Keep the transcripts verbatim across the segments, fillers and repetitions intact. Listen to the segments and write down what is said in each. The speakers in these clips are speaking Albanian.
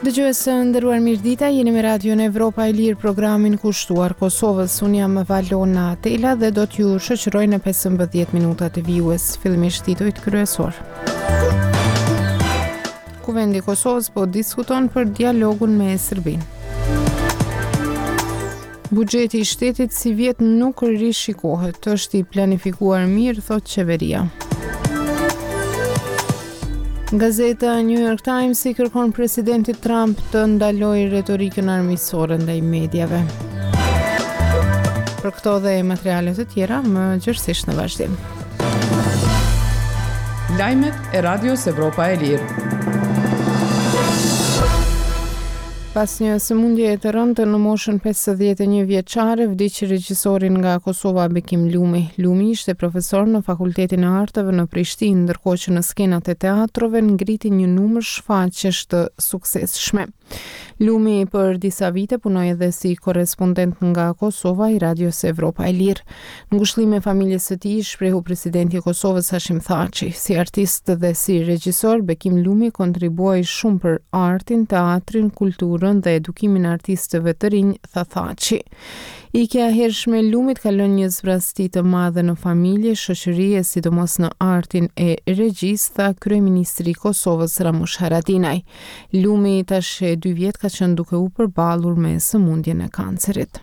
Dëgjues të nderuar, mirëdita, jeni me Radion Evropa e Lirë, programin kushtuar Kosovës. Unë jam Valona Tela dhe do t'ju shoqëroj në pesëmbëdhjetë minutat e vijues, fillimisht titujt kryesor. Kuvendi i Kosovës po diskuton për dialogun me Serbinë. Buxheti i shtetit sivjet nuk rishikohet, është i planifikuar mirë, thotë qeveria. Gazeta New York Times i kërkon presidentit Trump të ndalojë retorikën armiqësore ndaj mediave. Për këto dhe materiale të tjera, më gjerësisht në vazhdim. Lajmet e Radios Evropa e Lirë. Pas një sëmundjeje të rëndë në moshën pesëdhjetë e një vjeçare, vdiq regjisori nga Kosova Bekim Lumi. Lumi ishte profesor në Fakultetin e Arteve në Prishtinë, ndërkohë që në skenat e teatrove ngriti një numër shfaqjesh të suksesshme. Lumi për disa vite punoi edhe si korrespondent nga Kosova i Radios Evropa e Lirë. Ngushëllime familjes së tij shprehu presidenti i Kosovës Hashim Thaçi. Si artist dhe si regjisor, Bekim Lumi kontribuoi shumë për artin, teatrin, kulturën dhe edukimin e artistëve të rinj, tha Thaçi. Ikja e hershme e Lumit ka lënë një zbrazëti të madhe në familje, shoqëri e sidomos në artin e regjisë, tha kryeministri i Kosovës Ramush Haradinaj. Lumi tash e dy vjet ka qenë duke u përballur me sëmundjen e kancerit.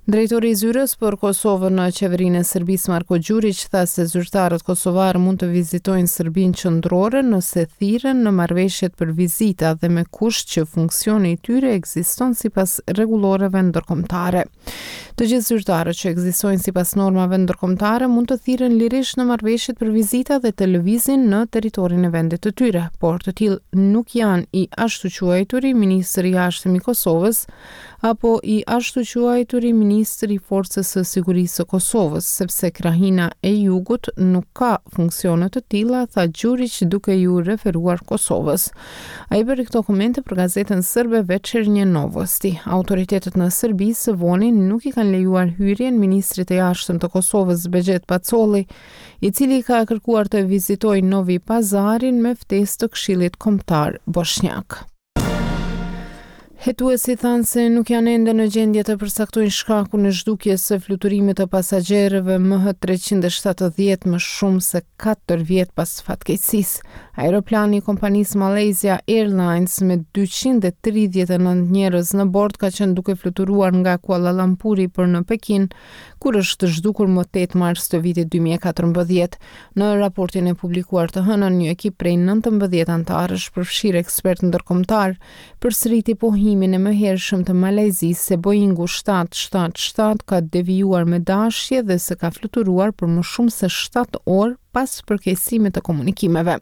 Drejtori i zyrës për Kosovën në qeverinë e Serbisë Marko Gjuriq tha se zyrtarët kosovarë mund të vizitojnë Serbinë qendrore nëse thirren në marrëveshjet për vizita dhe me kusht që funksioni i tyre ekziston sipas rregulloreve ndërkombëtare. Të gjithë zyrtarët që ekzistojnë sipas normave ndërkombëtare mund të thirren lirisht në marrëveshjet për vizita dhe të lëvizin në territorin e vendit të tyre, por të tillë nuk janë i ashtuquajturi ministër i jashtëm i Kosovës apo i ashtuquajturi ministër i Forcës së Sigurisë së Kosovës, sepse krahina e jugut nuk ka funksione të tilla, tha Gjuriq duke iu referuar Kosovës. Ai bëri këto komente për gazetën serbe Večernje Novosti. Autoritetet në Serbi së voni nuk i kanë lejuar hyrjen ministrit të jashtëm të Kosovës Behgjet Pacolli, i cili ka kërkuar të vizitojë Novi Pazarin me ftesë të Këshillit Kombëtar Boshnjak. Hetuesit thanë se nuk janë ende në gjendje të përcaktojnë shkakun e zhdukjes së fluturimit të pasagjerëve M H treqind e shtatëdhjetë më shumë se katër vjet pas fatkeqësisë. Aeroplani i kompanisë Malaysia Airlines me dyqind e tridhjetë e nëntë njerëz në bord ka qenë duke fluturuar nga Kuala Lumpuri për në Pekin, kur është zhdukur më tetë mars të vitit dy mijë e katërmbëdhjetë. Në raportin e publikuar të hënën, një ekip prej nëntëmbëdhjetë anëtarësh, përfshirë ekspertë ndërkombëtar, përsëriti pohimin e mëhershëm të Malajzisë se Boeingu shtatë shtatë shtatë ka devijuar me dashje dhe se ka fluturuar për më shumë se shtatë orë pas përkeqësimit të komunikimeve.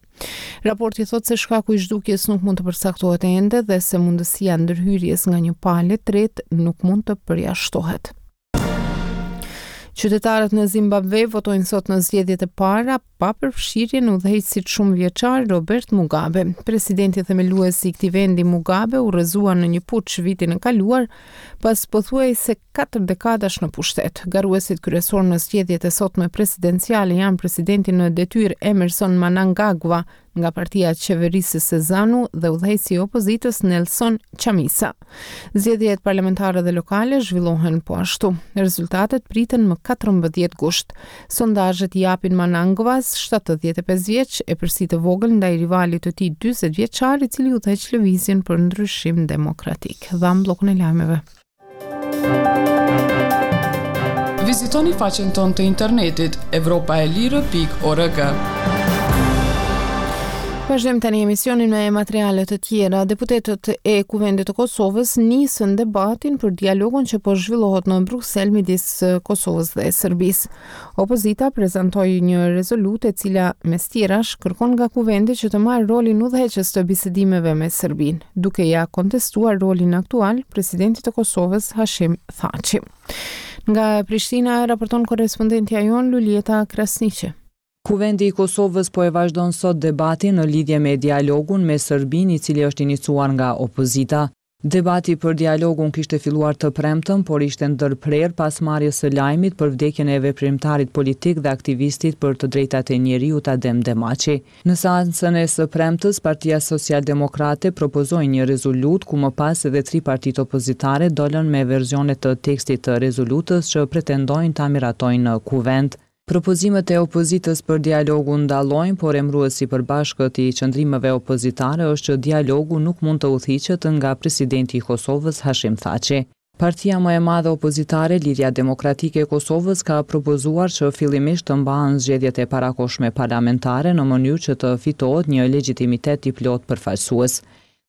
Raporti thotë se shkaku i zhdukjes nuk mund të përcaktohet ende dhe se mundësia e ndërhyrjes nga një palë e tretë nuk mund të përjashtohet. Qytetarët në Zimbabve votojnë sot në zgjedhjet e para pa përfshirjen e udhëheqësit shumë vjeçar Robert Mugabe. Presidenti themelues i këtij vendi Mugabe u rrëzua në një puç vitin e kaluar pas pothuajse katër dekadash në pushtet. Garuesit kryesor në zgjedhjet e sotme presidenciale janë presidenti në detyrë Emerson Mnangagwa nga partia qeverisëse ZANU dhe udhëheqësi i opozitës Nelson Chamisa. Zgjedhjet parlamentare dhe lokale zhvillohen po ashtu. Rezultatet priten më katërmbëdhjetë gusht. Sondazhet japin Mnangagwas shtatëdhjetë e pesë vjeç, epërsi të vogël ndaj rivalit të tij dyzet vjeçar, i cili udhëheq lëvizjen për ndryshim demokratik. Dham bllokun e lajmeve. Vizitoni faqen tonë të internetit evropa e lirë pikë org. Vazhdojmë tani emisionin me materiale të tjera. Deputetët e Kuvendit të Kosovës nisën debatin për dialogun që po zhvillohet në Bruksel midis Kosovës dhe Serbisë. Opozita prezantoi një rezolutë e cila mes tjerash kërkon nga Kuvendi që të marrë rolin udhëheqës të bisedimeve me Serbinë, duke ja kontestuar rolin aktual presidentit të Kosovës Hashim Thaçi. Nga Prishtina raporton korrespondentja jonë Luljeta Krasniqi. Kuvendi i Kosovës po e vazhdon sot debatin në lidhje me dialogun me Serbinë, i cili është iniciuar nga opozita. Debati për dialogun kishte filluar të premten, por ishte ndërprerë pas marrjes së lajmit për vdekjen e veprimtarit politik dhe aktivistit për të drejtat e njeriut Adem Demaçi. Në seancën e së premtes, Partia Socialdemokrate propozoi një rezolutë ku më pas edhe tri partitë opozitare dolën me versione të tekstit të rezolutës që pretendojnë ta miratojnë në Kuvend. Propozimet e opozitës për dialogun dallojnë, por emëruesi i përbashkët i qëndrimeve opozitare është që dialogu nuk mund të udhëhiqet nga presidenti i Kosovës, Hashim Thaçi. Partia më e madhe opozitare, Lidhja Demokratike e Kosovës, ka propozuar që fillimisht të mbahen zgjedhjet e parakohshme parlamentare në mënyrë që të fitohet një legjitimitet i plotë përfaqësues.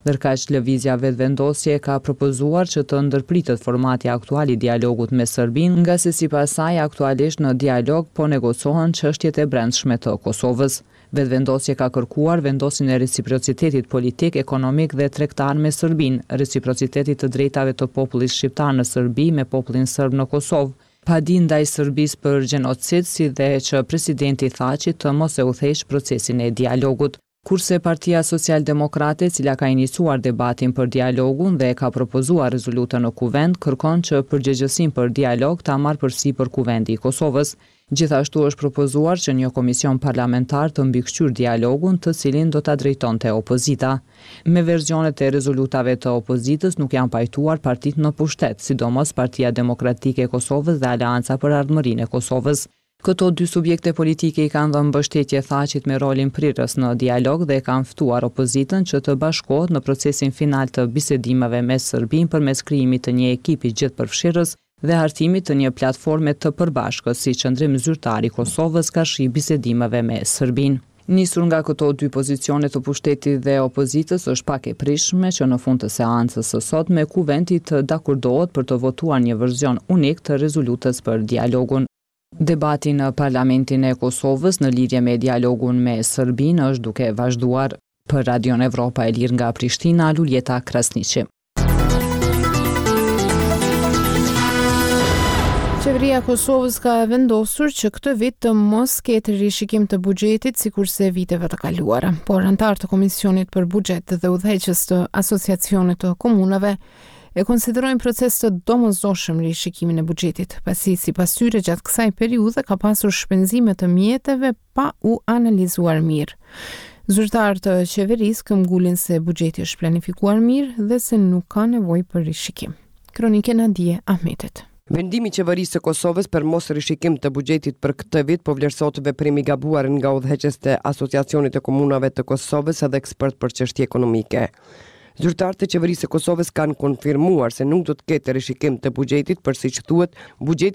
Ndërkaq, Lëvizja Vetëvendosje ka propozuar që të ndërpritet formati aktual i dialogut me Serbinë, ngase sipas saj aktualisht në dialog po negocohen çështjet e brendshme të Kosovës. Vetëvendosje ka kërkuar vendosjen e reciprocitetit politik, ekonomik dhe tregtar me Serbinë, reciprocitetit të drejtave të popullit shqiptar në Serbi me popullin serb në Kosovë, padi ndaj Serbisë për gjenocid si dhe që presidenti Thaçi të mos e udhëheqë procesin e dialogut. Kurse Partia Socialdemokrate, e cila ka iniciuar debatin për dialogun dhe ka propozuar rezolutën në Kuvend, kërkon që përgjegjësinë për dialog ta marrë përsipër Kuvendi i Kosovës. Gjithashtu është propozuar që një komision parlamentar të mbikëqyrë dialogun, të cilin do ta drejtonte opozita. Me versionet e rezolutave të opozitës nuk janë pajtuar partitë në pushtet, sidomos Partia Demokratike e Kosovës dhe Aleanca për Ardhmërinë e Kosovës. Këto dy subjekte politike i kanë dhënë mbështetje Thaçit me rolin prirës në dialog dhe kanë ftuar opozitën që të bashkohet në procesin final të bisedimeve me Serbinë përmes krijimit të një ekipi gjithëpërfshirës dhe hartimit të një platforme të përbashkët si qëndrim zyrtar i Kosovës karshi bisedimeve me Serbinë. Nisur nga këto dy pozicione të pushtetit dhe opozitës, është pak e pritshme që në fund të seancës së sotme Kuvendi të dakordohet për të votuar një version unik të rezolutës për dialogun. Debati në Parlamentin e Kosovës në lidhje me dialogun me Serbinë është duke vazhduar. Për Radion Evropa e Lirë nga Prishtina, Luljeta Krasniqi. Qeveria e Kosovës ka vendosur që këtë vit të mos ketë rishikim të buxhetit sikurse viteve të kaluara, por anëtarë të Komisionit për Buxhet dhe udhëheqës të Asociacionit të Komunave e konsiderojnë proces të domosdoshëm rishikimin e buxhetit, pasi sipas tyre gjatë kësaj periudhe ka pasur shpenzime të mjeteve pa u analizuar mirë. Zyrtarë të qeverisë këmbgulin se buxheti është planifikuar mirë dhe se nuk ka nevojë për rishikim. Kronike Nadie Ahmetit. Vendimi i qeverisë së Kosovës për mos rishikim të buxhetit për këtë vit po vlerësohet veprim i gabuar nga udhëheqës të Asociacionit të Komunave të Kosovës edhe ekspert për çështje ekonomike. Zyrtarët e qeverisë së Kosovës kanë konfirmuar se nuk do të ketë rishikim të buxhetit, për siç thuhet, buxheti